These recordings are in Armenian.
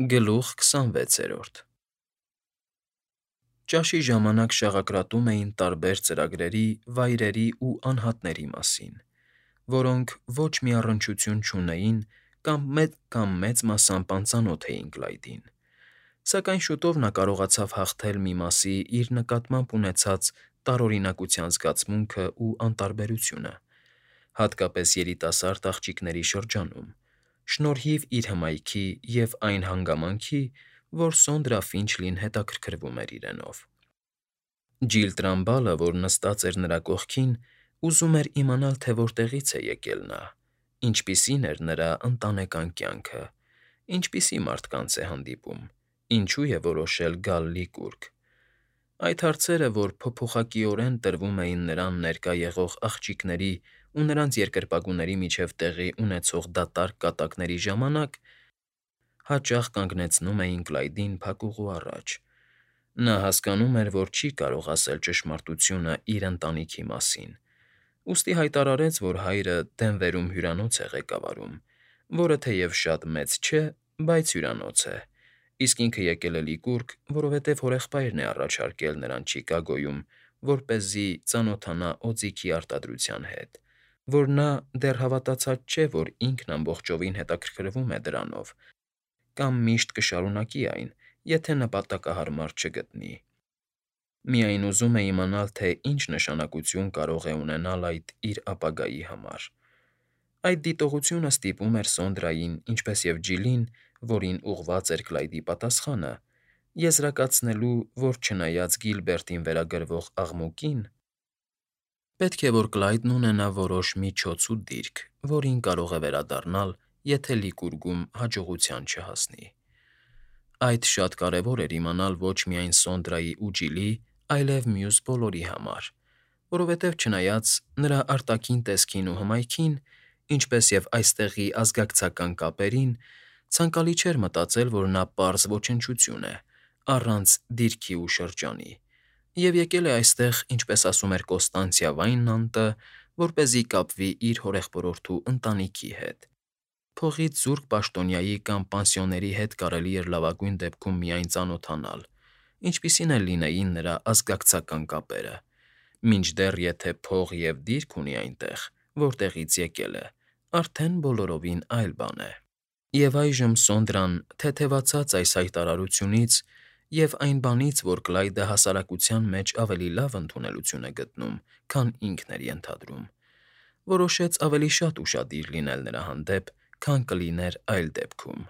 Գլուխ 26։ Ճաշի ժամանակ շաղակրատում էին տարբեր ծրագրերի, վայրերի ու անհատների մասին, որոնք ոչ մի առնչություն չունեին կամ մեծ մասամբ անծանոթ էին Կլայդին, սակայն շուտով նա կարողացավ հաղթել մի մասի իր նկատմամբ ունեցած տարօրինակության զգացմունքն ու անտարբերությունը, հատկապես երիտասարդ աղջիկների շրջանում, շնորհիվ իր հմայքի և այն հանգամանքի, որ Սոնդրա Ֆինչլին հետաքրքրվում էր իրենով։ Ջիլ Տրամբալը, որ նստած էր նրա կողքին, ուզում էր իմանալ, թե որտեղից է եկել նա, ինչպիսին էր նրա ընտանեկան կյանքը, ինչպիսի մարդկանց է հանդիպում, ինչու է որոշել գալ Լիկուրգ։ Այդ հարցերը, որ փոփոխակիորեն տրվում էին նրան ներկա եղող աղջիկների ու նրանց երկրպագուների միջև տեղի ունեցող դատարկ կատակների ժամանակ, հաճախ կանգնեցնում էին Կլայդին փակուղու առաջ։ Նա հասկանում էր, որ չի կարող ասել ճշմարտությունը իր ընտանիքի մասին, ուստի հայտարարեց, որ հայրը Դենվերում հյուրանոց է ղեկավարում, որը թեև շատ մեծ չէ, բայց հյուրանոց է, իսկ ինքը եկել է Լիկուրգ, որովհետև հորեղբայրն է առաջարկել նրան Չիկագոյում, որպեսզի ծանոթանա օձիքի արտադրության հետ, որ նա դեռ հավատացած չէ, որ ինքն ամբողջովին հետաքրքրվում է դրանով կամ միշտ կշարունակի այն, եթե նպատակահարմար չգտնի։ Միայն ուզում է իմանալ, թե ինչ նշանակություն կարող է ունենալ այդ իր ապագայի համար։ Այդ դիտողությունը ստիպում էր Սոնդրային, ինչպես և Ջիլին, որին ուղղված էր Կլայդի պատասխանը, եզրակացնելու, որ չնայած Գիլբերտին վերագրվող աղմուկին, պետք է որ Կլայդն ունենա որոշ միջոց ու դիրք, որին կարող է վերադառնալ, եթե Լիկուրգում հաջողության չհասնի։ Այդ շատ կարևոր էր իմանալ ոչ միայն Սոնդրայի ու Ջիլի, այլև մյուս բոլորի համար, որովհետև չնայած նրա արտաքին տեսքին ու հմայքին, ինչպես և այստեղի ազգակցական կապերին, ցանկալի չէր մտածել, որ նա պարզ ոչնչություն է, առանց դիրքի ու շրջանի, և եկել է այստեղ, ինչպես ասում էր Կոստանցիա Վայնլանդը, որպեսզի կապվի իր հորեղբորորդու ընտանիքի հետ։ Փողից զուրկ պաշտոնյայի կամ պանսիոների հետ կարելի էր լավագույն դեպքում միայն ծանոթանալ, ինչպիսին էլ լինեին նրա ազգակցական կապերը, մինչդեռ եթե փող և դիրք ունի այնտեղ, որտեղից եկել է, արդեն բոլորովին այլ բան է։ Եվ այժմ Սոնդրան, թեթևացած այս հայտարարությունից և այն բանից, որ Կլայդը հասարակության մեջ ավելի լավ ընդունելություն է գտնում, քան ինքն էր ենթադրում, որոշեց ավելի շատ ուշադիր լինել նրա հանդեպ, քան կլիներ այլ դեպքում։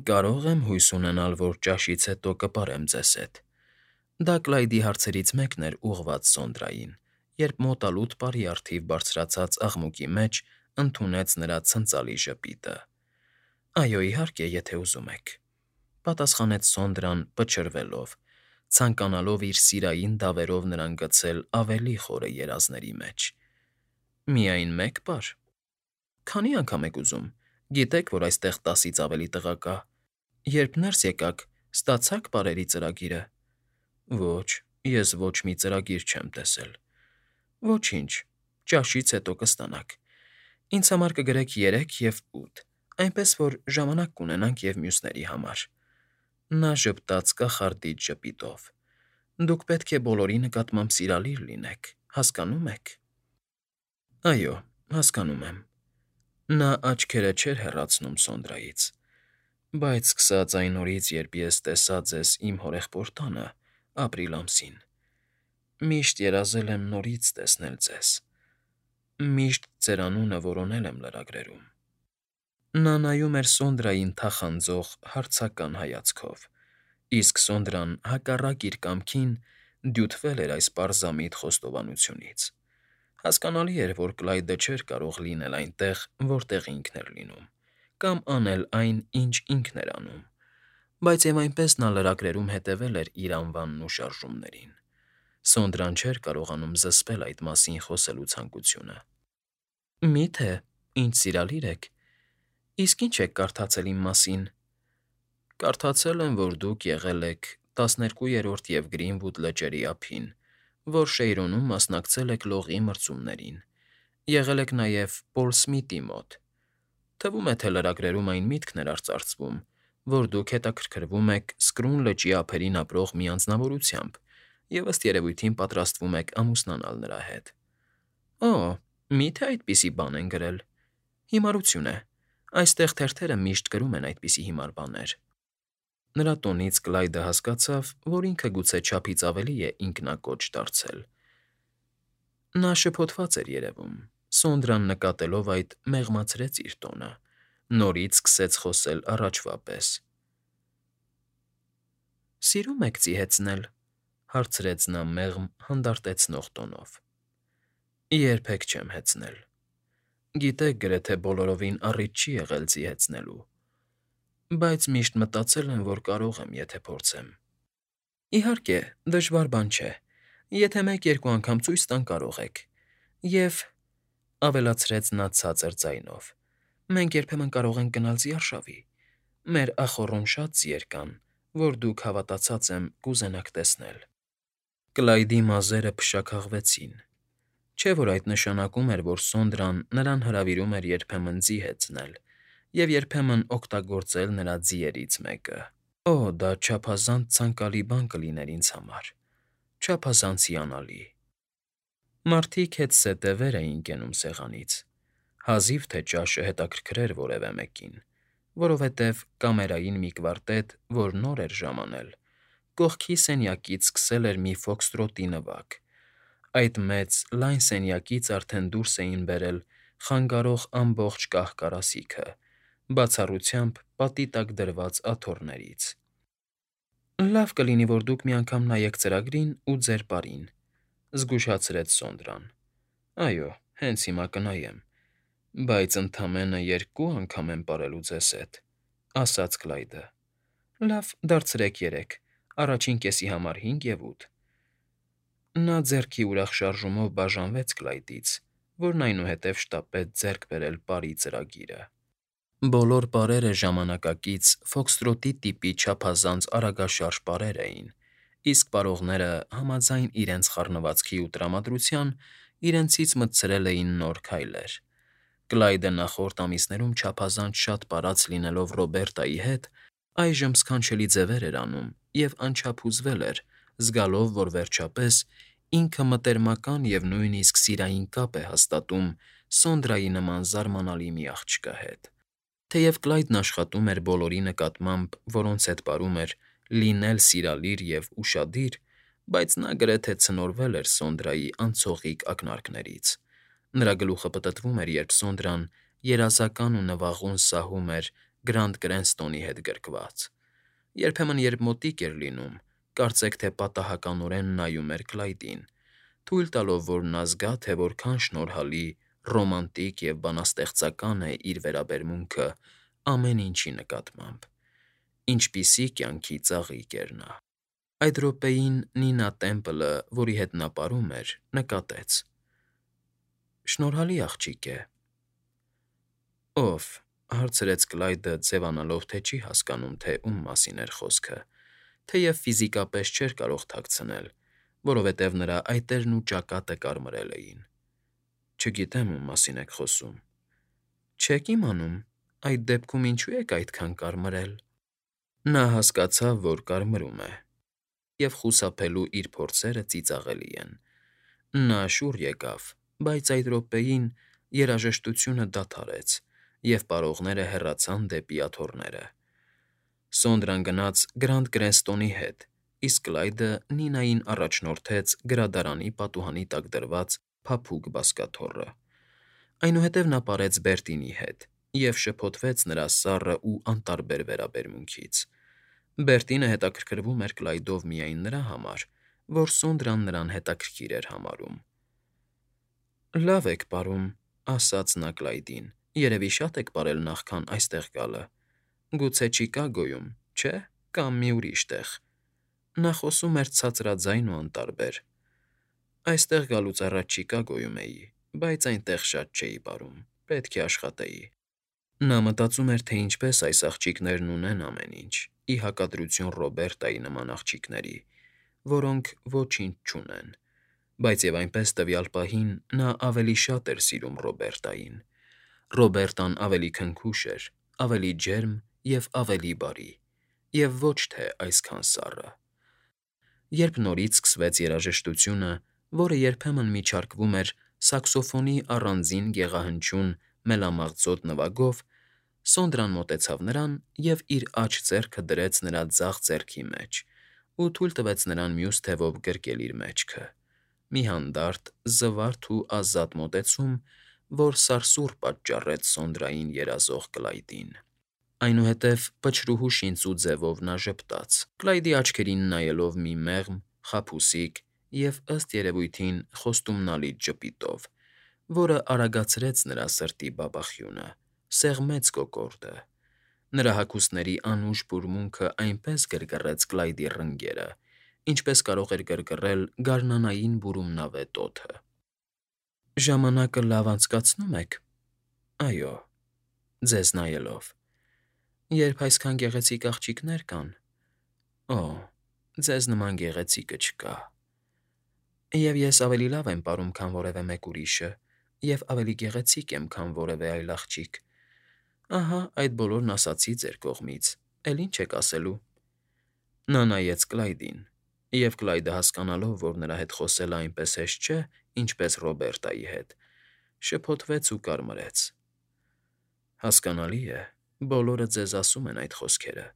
«Կարո՞ղ եմ հույս ունենալ, որ ճաշից հետո կպարեմ ձեզ հետ»։ Դա Կլայդի հարցերից մեկն էր ուղղված Սոնդրային, երբ մոտալուտ պարի առթիվ բարձրացած աղմուկի մեջ ընդունեց նրա ցնծալի ժպիտը։ «Այո, իհարկե, եթե ուզում եք», պատասխանեց Սոնդրան պչրվելով, ցանկանալով իր սիրային դավերով նրան գցել ավելի խորը երազների մեջ։ «Միայն մեկ պար։ Քանի՞ անգամ եք ուզում, գիտեք, որ այստեղ 10-ից ավելի տղա կա։ Երբ ներս եկաք, ստացա՞ք պարերի ծրագիրը»։ «Ոչ, ես ոչ մի ծրագիր չեմ տեսել»։ «Ոչինչ, ճաշից հետո կստանաք։ Ինձ համար կգրեք 3 և 8, այնպես որ ժամանակ կունենանք և մյուսների համար»։ Նա ժպտաց կախարդիչ ժպիտով։ «Դուք պետք է բոլորի նկատմամբ սիրալիր լինեք, հասկանո՞ւմ եք»։ «Այո, հասկանում եմ»։ Նա աչքերը չէր հեռացնում Սոնդրայից։ «Բայց սկսած այն օրից, երբ ես տեսա ձեզ իմ հորեղբոր տանը, ապրիլ ամսին, միշտ երազել եմ նորից տեսնել ձեզ, միշտ ձեր անունը որոնել եմ լրագրերում»։ Նա նայում էր Սոնդրային թախանձող, հարցական հայացքով, իսկ Սոնդրան, հակառակ իր կամքին, դյութվել էր այս պարզամիտ խոստովանությունից։ Հասկանալի էր, որ Կլայդը չէր կարող լինել այնտեղ, որտեղ ինքն էր լինում, կամ անել այն, ինչ ինքն էր անում, բայց և այնպես նա լրագրերում հետևել էր իր անվանն ու շարժումներին։ Սոնդրան չէր կարողանում զսպել այդ մասին խոսելու ցանկությունը։ «Մի՞թե, ինձ սիրալիր եք։ Իսկ ի՞նչ եք կարդացել իմ մասին»։ «Կարդացել եմ, որ դուք եղել եք 12-րդ և Գրինվուդ լճերի ափին, որ Շեյրոնում մասնակցել եք լողի մրցումներին, եղել եք նաև Պոլ Սմիթի մոտ։ Թվում է, թե լրագրերում այն միտքն էր արծարծվում, որ դուք հետաքրքրվում եք Սկրուն լճի ափերին ապրող մի անձնավորությամբ և ըստ երևույթին պատրաստվում եք ամուսնանալ նրա հետ։ Ո, մի՞թե այդպիսի բան են գրել։ Հիմարություն է։ Այստեղ թերթերը միշտ գրում են այդպիսի հիմար բաներ։ Նրա տոնից Կլայդը հասկացավ, որ ինքը գուցե չափից ավելի է ինքնակոչ դարձել։ Նա շփոթված էր երևում։ Սոնդրան նկատելով այդ, մեղմացրեց իր տոնը։ Նորից սկսեց խոսել առաջվա պես։ «Սիրում եք ծիհեցնել,֊ հարցրեց նա մեղմ, հանդարտեցնող տոնով։ Երբեք չեմ հեծնել։ Գիտեք, գրեթե բոլորովին առիթ չի եղել ծիհեցնելու, բայց միշտ մտածել եմ, որ կարող եմ, եթե փորձեմ։ Իհարկե, դժվար բան չէ։ Եթե մեկ-երկու անգամ ցույց տան, կարող եք։ Եվ,֊ ավելացրեց նա ցածր ձայնով,֊ մենք երբեմն կարող ենք գնալ ձիարշավի։ Մեր ախոռում շատ ձիեր կան, որ դուք, հավատացած եմ, կուզենաք տեսնել։ Կլայդի մազերը փշաքաղվեցին։ Չէ՞ որ այդ նշանակում էր, որ Սոնդրան նրան հրավիրում էր երբեմն ձի հեծնել և երբեմն օգտագործել նրա ձիերից մեկը։ Օ, դա չափազանց ցանկալի բան կլիներ ինձ համար, չափազանց հիանալի։ Մարդիկ հետզհետե վեր էին կենում սեղանից։ Հազիվ թե ճաշը հետաքրքրեր որևէ մեկին, որովհետև կամերային մի կվարտետ, որ նոր էր ժամանել, կողքի սենյակից սկսել էր մի ֆոքստրոտի նվագ։ Այդ մեծ, լայն սենյակից արդեն դուրս էին բերել խանգարող ամբողջ կահ֊կարասիքը, բացառությամբ պատի տակ դրված աթոռներից։ Լավ կլինի, որ դուք մի անգամ նայեք ծրագրին ու ձեր պարին,֊ զգուշացրեց Սոնդրան։ Այո, հենց հիմա կնայեմ, բայց ընդամենը 2 անգամ եմ պարելու ձեզ հետ,֊ ասաց Կլայդը։ Լավ, դարձրեք 3, առաջին կեսի համար 5 և 8։ Նա ձեռքի ուրախ շարժումով բաժանվեց Կլայդից, որն այնուհետև շտապեց ձեռք բերել պարի ծրագիրը։ Բոլոր պարերը ժամանակակից ֆոքստրոտի տիպի չափազանց արագաշարժ պարեր էին, իսկ պարողները, համաձայն իրենց խառնվածքի ու տրամադրության, իրենցից մտցրել էին նոր քայլեր։ Կլայդը նախորդ ամիսներում չափազանց շատ պարած լինելով Ռոբերտայի հետ, այժմ սքանչելի ձևեր էր անում և անչափ հուզվել էր, զգալով, որ վերջապես ինքը մտերմական և նույնիսկ սիրային կապ է հաստատում Սոնդրայի նման զարմանալի մի աղջկա հետ։ Թեև Կլայդն աշխատում էր բոլորի նկատմամբ, որոնց հետ պարում էր, լինել սիրալիր և ուշադիր, բայց նա գրեթե ցնորվել էր Սոնդրայի անցողիկ ակնարկներից։ Նրա գլուխը պտտվում էր, երբ Սոնդրան երազական ու նվաղուն սահում էր Գրանդ Կրենստոնի հետ գրկված։ Երբեմն, երբ մոտիկ էր լինում, կարծեք թե պատահականորեն նայում էր Կլայդին, թույլ տալով, որ նա զգա, թե որքան շնորհալի, ռոմանտիկ և բանաստեղծական է իր վերաբերմունքը ամեն ինչի նկատմամբ։ Ինչպիսի կյանքի ծաղիկ էր նա։ Այդ րոպեին Նինա Տեմպլը, որի հետ նա պարում էր, նկատեց. Շնորհալի աղջիկ է։ Ո՞վ,֊ հարցրեց Կլայդը, ձևանալով, թե չի հասկանում, թե ում մասին էր խոսքը, թեև ֆիզիկապես չէր կարող թաքցնել, որովհետև նրա այտերն ու ճակատը կարմրել էին։ Չգիտեմ, ում մասին եք խոսում։ Չե՞ք իմանում, այդ դեպքում ինչու եք այդքան կարմրել։ Նա հասկացավ, որ կարմրում է, և խուսափելու իր փորձերը ծիծաղելի են։ Նա շուռ եկավ, բայց այդ րոպեին երաժշտությունը դադարեց, և պարողները հեռացան դեպի աթոռները։ Սոնդրան գնաց Գրանդ Կրենստոնի հետ, իսկ Կլայդը Նինային առաջնորդեց գրադարանի պատուհանի տակ դրված փափուկ բազկաթոռը։ Այնուհետև նա պարեց Բերտինի հետ և շփոթվեց նրա սառը ու անտարբեր վերաբերմունքից։ Բերտինը հետաքրքրվում էր Կլայդով միայն նրա համար, որ Սոնդրան նրան հետաքրքիր էր համարում։ Լավ եք պարում,֊ ասաց նա Կլայդին, երևի շատ եք պարել նախքան այստեղ գալը։ Գուցե Չիկագոյում, չէ՞, կամ մի ուրիշ տեղ։ Նա խոսում էր ցածրաձայն ու անտարբեր։ Այստեղ գալուց առաջ Չիկագոյում էի, բայց այնտեղ շատ չէի պարում, պետք է աշխատեի։ Նա մտածում էր, թե ինչպես այս աղջիկներն ունեն ամեն ինչ, ի հակադրություն Ռոբերտայի նման աղջիկների, որոնք ոչինչ չունեն, բայց և այնպես տվյալ պահին նա ավելի շատ էր սիրում Ռոբերտային։ Ռոբերտան ավելի քնքուշ էր, ավելի ջերմ և ավելի բարի, և ոչ թե այսքան սառը։ Երբ նորից սկսվեց երաժշտությունը, որը երբեմն միջարկվում էր սաքսոֆոնի առանձին գեղահնչյուն մելամաղձոտ նվագով, Սոնդրան մոտեցավ նրան և իր աջ ձեռքը դրեց նրա ձախ ձեռքի մեջ ու թույլ տվեց նրան մյուս թևով գրկել իր մեջքը, մի հանդարտ, զվարթ ու ազատ մոտեցում, որ սարսուռ պատճառեց Սոնդրային երազող Կլայդին։ Այնուհետև պչրուհու շինծու ձևով նա ժպտաց, Կլայդի աչքերին նայելով մի մեղմ, խաբուսիկ և, ըստ երևույթին, խոստումնալից ժպիտով, որը արագացրեց նրա սրտի բաբախյունը, սեղմեց կոկորդը։ Նրա հագուստների անուշ բուրմունքը այնպես գրգռեց Կլայդի ռնգերը, ինչպես կարող էր գրգռել գարնանային բուրումնավետ օդը։ «Ժամանակը լավ անցկացնո՞ւմ եք»։ «Այո», ձեզ նայելով։ «Երբ այսքան գեղեցիկ աղջիկներ կան»։ «Օ, ձեզ նման գեղեցիկը չկա»։ «Եվ ես ավելի լավ եմ պարում, քան որևէ մեկ ուրիշը, և ավելի գեղեցիկ եմ, քան որևէ այլ աղջիկ։ Ահա այդ բոլորն ասացի ձեր կողմից, էլ ինչ եք ասելու»։ Նա նայեց Կլայդին, և Կլայդը, հասկանալով, որ նրա հետ խոսելը այնպես հեշտ չէ, ինչպես Ռոբերտայի հետ, շփոթվեց ու կարմրեց։ «Հասկանալի է, բոլորը ձեզ ասում են այդ խոսքերը,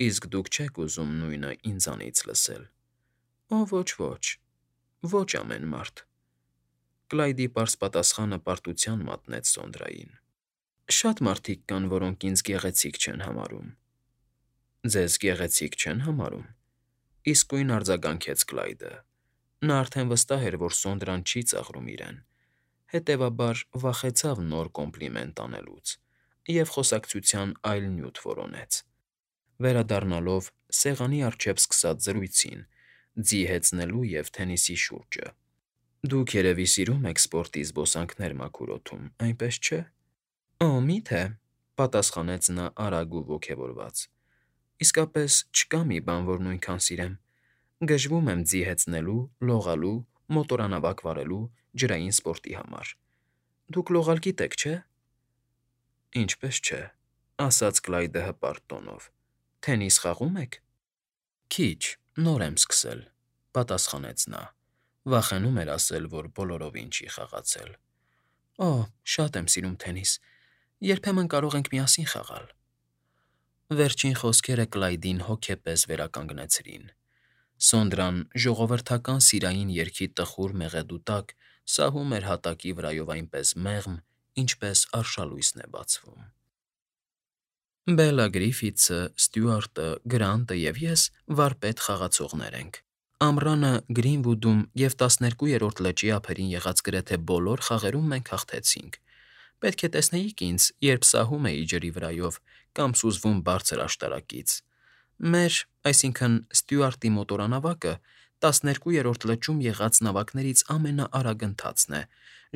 իսկ դուք չեք ուզում նույնը ինձանից լսել»։ «Օ, ոչ, ոչ ամեն մարդ»։ Կլայդի պարզ պատասխանը պարտության մատնեց Սոնդրային։ «Շատ մարդիկ կան, որոնք ինձ գեղեցիկ չեն համարում»։ «Ձեզ գեղեցիկ չեն համարում»։ Իսկույն արձագանքեց Կլայդը։ Նա արդեն վստահ էր, որ Սոնդրան չի ծաղրում իրեն, հետևաբար վախեցավ նոր կոմպլիմենտ անելուց և խոսակցության այլ նյութ որոնեց, վերադառնալով սեղանի առջև սկսած զրույցին՝ ձի հեծնելու և թենիսի շուրջը։ «Դուք երևի սիրում եք սպորտի զբոսանքներ մաքուր օդում, այնպես չէ՞։ «Օ, մի՞թե», պատասխանեց նա արագ ու ոգևորված։ «Իսկապես չկա մի բան, որ նույնքան սիրեմ։ Գժվում եմ ձի հեծնելու, լողալու, մոտորանավակ վարելու, ջրային սպորտի համար։ Դուք լողալ գիտեք, չէ՞։ «Ինչպես չէ», ասաց Կլայդը հպարտ տոնով։ «Թենիս խաղո՞ւմ եք»։ «Քիչ, նոր եմ սկսել», պատասխանեց նա, վախենում էր ասել, որ բոլորովին չի խաղացել։ «Օ, շատ եմ սիրում թենիս, երբեմն կարող ենք միասին խաղալ»։ Վերջին խոսքերը Կլայդին հոգեպես վերականգնեցրին։ Սոնդրան ժողովրդական սիրային երգի տխուր մեղեդու տակ սահում էր հատակի վրայով այնպես մեղմ, ինչպես արշալույսն է բացվում։ «Բելլա Գրիֆիթսը, Ստյուարտը, Գրանտը և ես վարպետ խաղացողներ ենք։ Ամռանը Գրինվուդում և 12-րդ լճի ափերին եղած գրեթե բոլոր խաղերում մենք հաղթեցինք։ Պետք է տեսնեիք ինձ, երբ սահում էի ջրի վրայով կամ սուզվում բարձր աշտարակից։ Մեր, այսինքն՝ Ստյուարտի մոտորանավակը 12-րդ լճում եղած նավակներից ամենաարագընթացն է,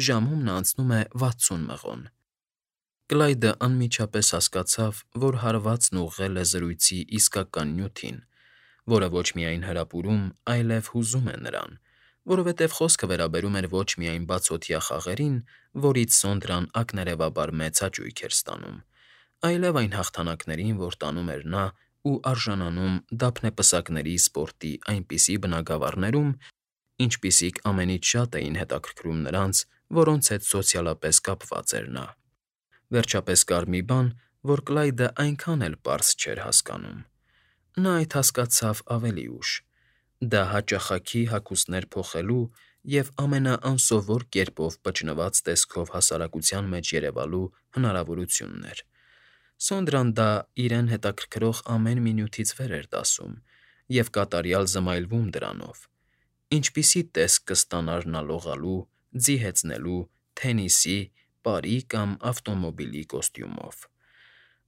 ժամում նա անցնում է 60 մղոն»։ Կլայդը անմիջապես հասկացավ, որ հարվածն ուղղել է զրույցի իսկական նյութին, որը ոչ միայն հրապուրում, այլև հուզում է նրան, որովհետև խոսքը վերաբերում էր ոչ միայն բացօթյա խաղերին, որից Սոնդրան ակներևաբար մեծ հաճույք էր ստանում, այլև այն հաղթանակներին, որ տանում էր նա ու արժանանում դափնեպսակների սպորտի այնպիսի բնագավառներում, ինչպիսիք ամենից շատ էին հետաքրքրում նրանց, որոնց հետ սոցիալապես կապված էր նա։ Վերջապես կար մի բան, որ Կլայդը այնքան էլ պարզ չէր հասկանում։ Նա այդ հասկացավ ավելի ուշ. դա հաճախակի հագուստներ փոխելու և ամենաանսովոր կերպով պճնված տեսքով հասարակության մեջ երևալու հնարավորությունն էր։ Սոնդրան դա իրեն հետաքրքրող ամեն մի նյութից վեր էր դասում և կատարյալ զմայլվում դրանով։ Ինչպիսի տեսք կստանար նա լողալու, ձի հեծնելու, թենիսի, պարի կամ ավտոմոբիլի կոստյումով։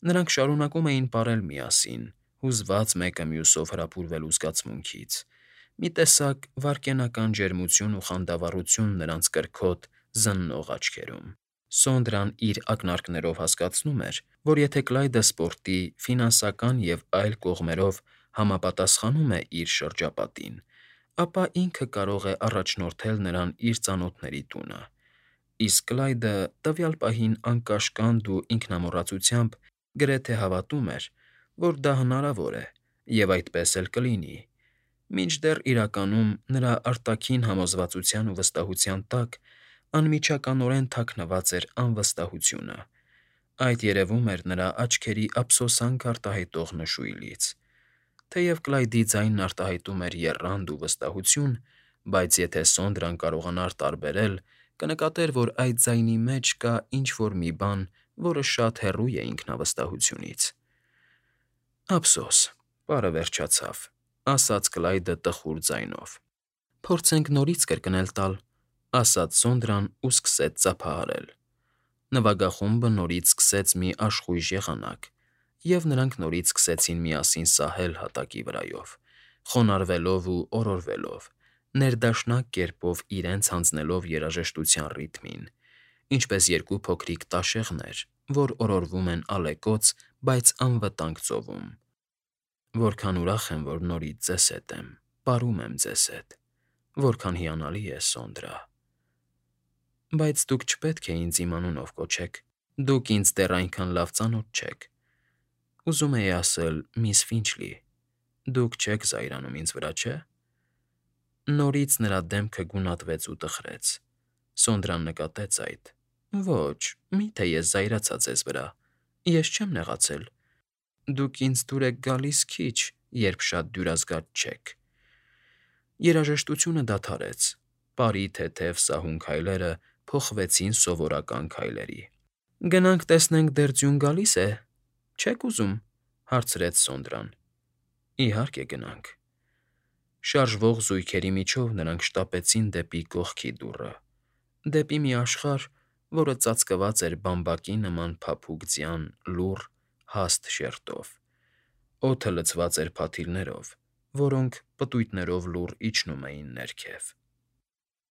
Նրանք շարունակում էին պարել միասին, հուզված մեկը մյուսով հրապուրվելու զգացմունքից։ Մի տեսակ վայրկենական ջերմություն ու խանդավառություն նրանց կրքոտ, զննող աչքերում։ Սոնդրան իր ակնարկներով հասկացնում էր, որ եթե Կլայդը սպորտի, ֆինանսական և այլ կողմերով համապատասխանում է իր շրջապատին, ապա ինքը կարող է առաջնորդել նրան իր ծանոթների տունը, իսկ Կլայդը տվյալ պահին անկաշկանդ ու ինքնամոռացությամբ Գրեթե հավատում էր, որ դա հնարավոր է, և այդպես էլ կլինի, մինչդեռ իրականում նրա արտաքին համոզվածության ու վստահության տակ անմիջականորեն թաքնված էր անվստահությունը. այդ երևում էր նրա աչքերի ափսոսանք արտահայտող նշույլից։ Թեև Կլայդի ձայնն արտահայտում էր եռանդ ու վստահություն, բայց եթե Սոնդրան կարողանար տարբերել, կնկատեր, որ այդ ձայնի մեջ կա ինչ֊որ մի բան, որը շատ հեռու է ինքնավստահությունից։ «Ափսոս, պարը վերջացավ», ասաց Կլայդը տխուր ձայնով։ «Փորձենք նորից կրկնել տալ», ասաց Սոնդրան ու սկսեց ծափահարել։ Նվագախումբը նորից սկսեց մի աշխույժ եղանակ, և նրանք նորից սկսեցին միասին սահել հատակի վրայով, խոնարհվելով ու օրորվելով, ներդաշնակ կերպով իրենց հանձնելով երաժշտության ռիթմին, ինչպես երկու փոքրիկ տաշեղներ, որ օրորվում են ալեկոծ, բայց անվտանգ ծովում։ «Որքան ուրախ եմ, որ նորից ձեզ հետ եմ, պարում եմ ձեզ հետ, որքան հիանալի է, Սոնդրա… Բայց դուք չպետք է ինձ իմ անունով կոչեք, դուք ինձ դեռ այնքան լավ ծանոթ չեք, ուզում էի ասել՝ միս Ֆինչլի, դուք չեք զայրանում ինձ վրա, չէ՞»։ Նորից նրա դեմքը գունատվեց ու տխրեց։ Սոնդրան նկատեց այդ։ «Ոչ, մի՞թե ես զայրացա ձեզ վրա, ես չեմ նեղացել։ Դուք ինձ դուր եք գալիս քիչ, երբ շատ դյուրազգաց չեք»։ Երաժշտությունը դադարեց։ Պարի թեթև սահուն քայլերը փոխվեցին սովորական քայլերի։ «Գնանք տեսնենք դեռ ձյուն գալի՞ս է, չե՞ք ուզում», հարցրեց Սոնդրան։ «Իհարկե, գնանք»։ Շարժվող զույգերի միջով նրանք շտապեցին դեպի կողքի դուռը, դեպի մի աշխարհ, որը ծածկված էր բամբակի նման փափուկ ձյան լուռ, հաստ շերտով։ Օդը լցված էր փաթիլներով, որոնք պտույտներով լուռ իջնում էին ներքև։